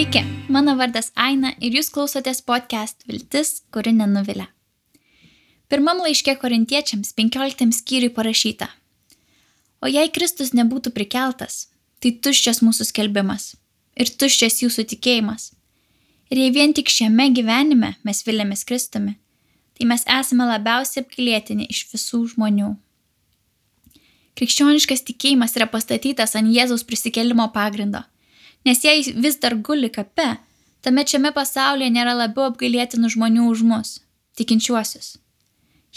Sveiki, mano vardas Aina ir jūs klausotės podcast Viltis, kuri nenuvilia. Pirmam laiške Korintiečiams 15 skyriui parašyta: O jei Kristus nebūtų prikeltas, tai tuščias mūsų skelbimas ir tuščias jūsų tikėjimas. Ir jei vien tik šiame gyvenime mes viliamės Kristumi, tai mes esame labiausiai apgailėtini iš visų žmonių. Krikščioniškas tikėjimas yra pastatytas ant Jėzaus prisikėlimo pagrindo. Nes jei vis dar guli kape, tuomet šiame pasaulyje nėra labiau apgailėtinų žmonių už mus, tikinčiuosius.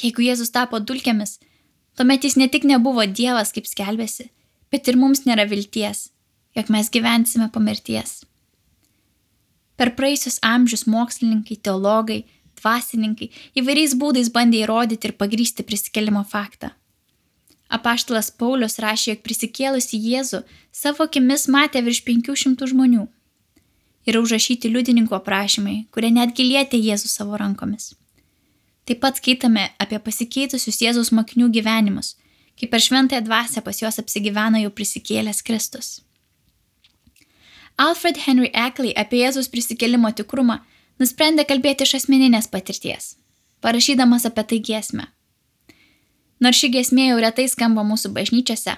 Jeigu Jėzus tapo dulkėmis, tuomet jis ne tik nebuvo Dievas, kaip skelbėsi, bet ir mums nėra vilties, jog mes gyvensime po mirties. Per praėjusius amžius mokslininkai, teologai, dvasininkai įvairiais būdais bandė įrodyti ir pagrįsti prisikėlimo faktą. Apaštalas Paulius rašė, jog prisikėlusi Jėzų savo akimis matė virš 500 žmonių. Yra užrašyti liudininkų aprašymai, kurie netgi lietė Jėzų savo rankomis. Taip pat skaitame apie pasikeitusius Jėzaus mokinių gyvenimus, kai per šventąją dvasią pas juos apsigyveno jau prisikėlęs Kristus. Alfred Henry Ackley apie Jėzaus prisikėlimo tikrumą nusprendė kalbėti iš asmeninės patirties, parašydamas apie tai giesmę. Nors ši giesmė jau retai skamba mūsų bažnyčiose,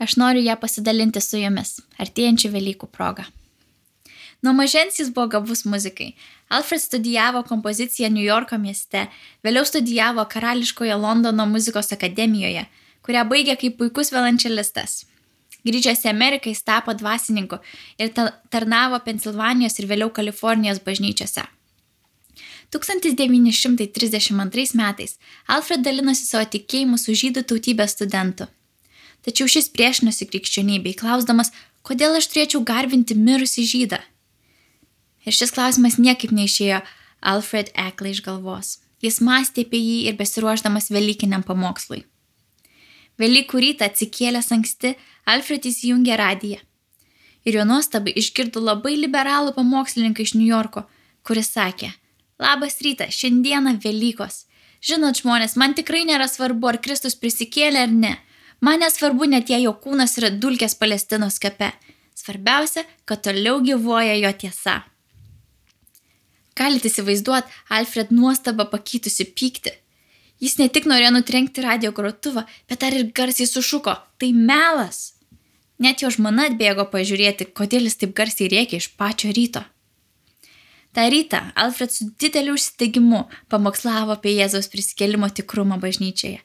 aš noriu ją pasidalinti su jumis, artėjančių Velykų proga. Nuo mažens jis buvo gabus muzikai. Alfred studijavo kompoziciją New Yorko mieste, vėliau studijavo Karališkoje Londono muzikos akademijoje, kurią baigė kaip puikus violončelistas. Grįžęs į Ameriką jis tapo dvasininku ir tarnavo Pensilvanijos ir vėliau Kalifornijos bažnyčiose. 1932 metais Alfred dalinosi savo tikėjimu su žydų tautybės studentu. Tačiau šis priešinosi krikščionybei, klausdamas, kodėl aš turėčiau garbinti mirusį žydą. Ir šis klausimas niekaip neišėjo Alfred Ackley iš galvos. Jis mąstė apie jį ir besiruošdamas Velykiniam pamokslui. Velykų rytą atsikėlęs anksti, Alfred įsijungė radiją. Ir jo nuostabai išgirdo labai liberalų pamokslininką iš New Yorko, kuris sakė: Labas rytas, šiandieną Velykos. Žinot, žmonės, man tikrai nėra svarbu, ar Kristus prisikėlė ar ne. Man nesvarbu net jei jo kūnas yra dulkės Palestinos kape. Svarbiausia, kad toliau gyvuoja jo tiesa. Galite įsivaizduoti Alfred nuostabą pakeitusi pyktį. Jis ne tik norėjo nutrenkti radijo grotuvą, bet dar ir garsiai sušuko: Tai melas! Net jo žmona atbėgo pažiūrėti, kodėl jis taip garsiai rėkė iš pačio ryto. Ta rytą Alfred su dideliu užsidegimu pamokslavo apie Jėzaus prisikėlimo tikrumą bažnyčioje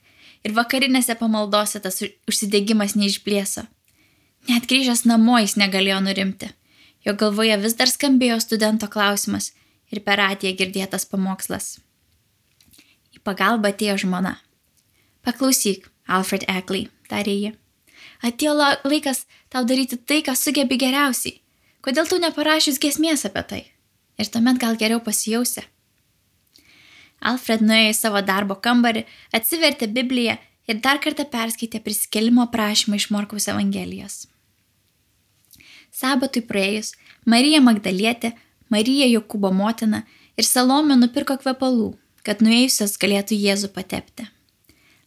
ir vakarinėse pamaldose tas užsidegimas neišblėso. Net grįžęs namo jis negalėjo nurimti. Jo galvoje vis dar skambėjo studento klausimas ir per radiją girdėtas pamokslas. Į pagalbą atėjo žmona. Paklausyk, Alfred Ackley, tarė ji. Atėjo laikas tau daryti tai, ką sugebi geriausiai. Kodėl tu neparašius giesmės apie tai? Ir tuomet gal geriau pasijausi. Alfred nuėjo į savo darbo kambarį, atsivertė Bibliją ir dar kartą perskaitė prisikėlimo aprašymą iš Morkaus Evangelijos. Sabatui praėjus, Marija Magdalietė, Marija Jokūbo motina ir Salomė nupirko kvepalų, kad nuėjusios galėtų Jėzų patepti.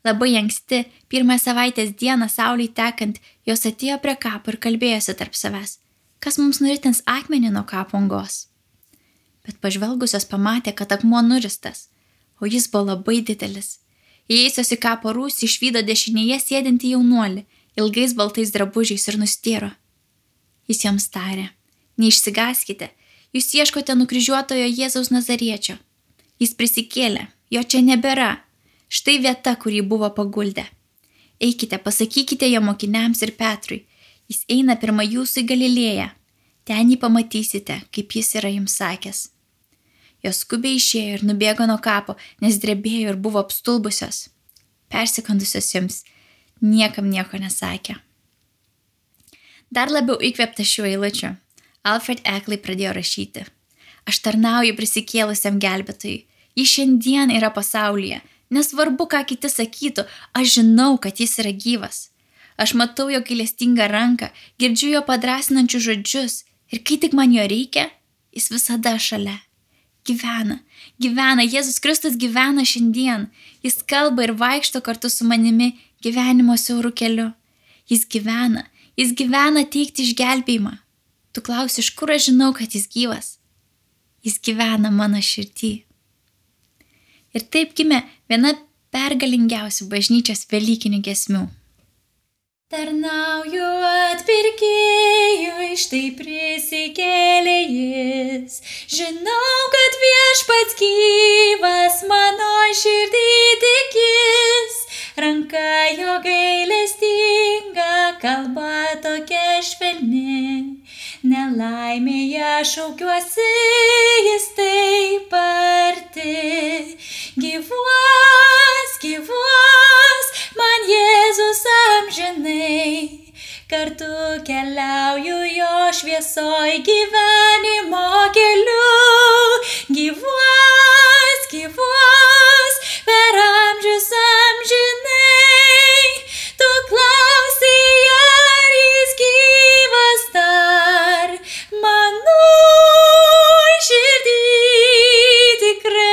Labai anksti, pirmą savaitės dieną saulei tekant, jos atėjo prie kapo ir kalbėjosi tarp savęs: Kas mums nuritins akmenį nuo kapo angos? Bet pažvelgusios pamatė, kad akmuo nuristas, o jis buvo labai didelis. Įėjusios į kapo rūsį išvydo dešinėje sėdintį jaunuolį, ilgais baltais drabužiais ir nustėro. Jis joms tarė: Neišsigąskite, jūs ieškote nukryžiuotojo Jėzaus Nazariečio. Jis prisikėlė, jo čia nebėra. Štai vieta, kur jį buvo paguldę. Eikite, pasakykite jo mokiniams ir Petrui, jis eina pirma jūsų į Galilėją. Ten jį pamatysite, kaip jis yra jums sakęs. Jos skubiai išėjo ir nubėgo nuo kapo, nes drebėjo ir buvo apstulbusios. Persikandusios jums, niekam nieko nesakė. Dar labiau įkvėpta šiuo eilučiu, Alfred Ackley pradėjo rašyti: Aš tarnauju prisikėlusiam gelbėtojui. Jis šiandien yra pasaulyje. Nesvarbu, ką kiti sakytų, aš žinau, kad jis yra gyvas. Aš matau jo gailestingą ranką, girdžiu jo padrasinančius žodžius ir kai tik man jo reikia, jis visada šalia. Gyvena, Jėzus Kristus gyvena šiandien. Jis kalba ir vaikšto kartu su manimi gyvenimo siauru keliu. Jis gyvena teikti išgelbėjimą. Tu klausi, iš kur aš žinau, kad jis gyvas? Jis gyvena mano širdį. Ir taip gimė viena pergalingiausių bažnyčios velykinių giesmių. Tarnauju atpirkėjui, štai prisikėlė jis. Žinau, kad viešpats gyvas, mano širdį tikis. Ranka jo gailestinga, kalba tokia švelni. Nelaimėje šaukiuosi, jis taip arti. Gyvuos, gyvuos, man Jėzus amžinai. Kartu keliauju jo šviesoj gyvenimo keliu. Gyvuos, gyvuos, per amžius amžinai. Tu klausi, ar jis gyvas dar, mano širdį tikrai.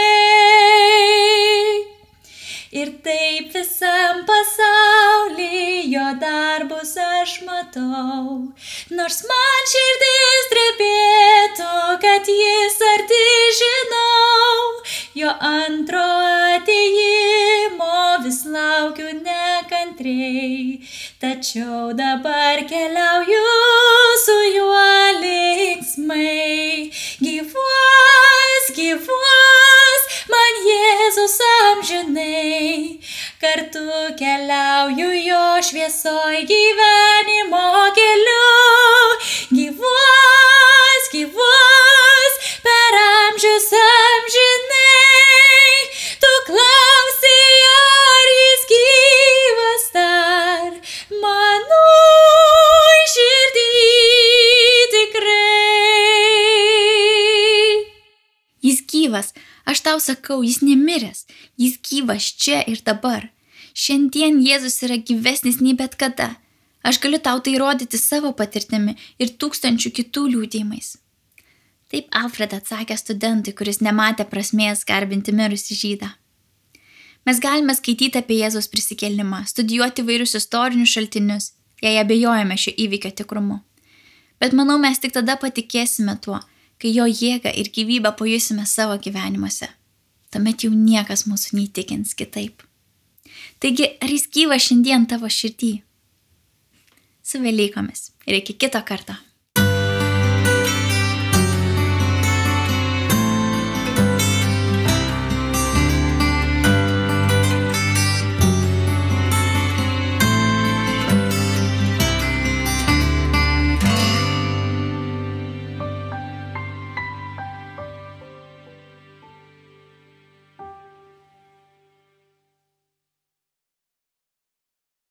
Ir taip visam pasauly jo darbus aš matau, nors man širdis drebėtų, kad jis arti žinau. Jo antro atėjimo vis laukiu nekantriai, tačiau dabar keliauju su juo linksmai. Gyvuos, gyvuos, man Jėzus amžinai. Kartu keliauju jo šviesoj gyvenimo keliu. Gyvuos, gyvuos, per amžius amžinai. Tu klausi, ar jis gyvas dar, mano širdį tikrai. Jis gyvas, aš tau sakau, jis nemiręs, jis gyvas čia ir dabar. Šiandien Jėzus yra gyvesnis nei bet kada. Aš galiu tau tai rodyti savo patirtimi ir tūkstančių kitų liudijimais. Taip Alfred atsakė studentui, kuris nematė prasmės garbinti mirusį žydą. Mes galime skaityti apie Jėzaus prisikėlimą, studijuoti vairius istorinius šaltinius, jei abejojame šio įvykio tikrumu. Bet manau, mes tik tada patikėsime tuo, kai jo jėgą ir gyvybę pajusime savo gyvenimuose. Tuomet jau niekas mūsų neįtikins kitaip. Taigi, ar jis gyvas šiandien tavo širdį? Su Velykomis ir iki kito karto.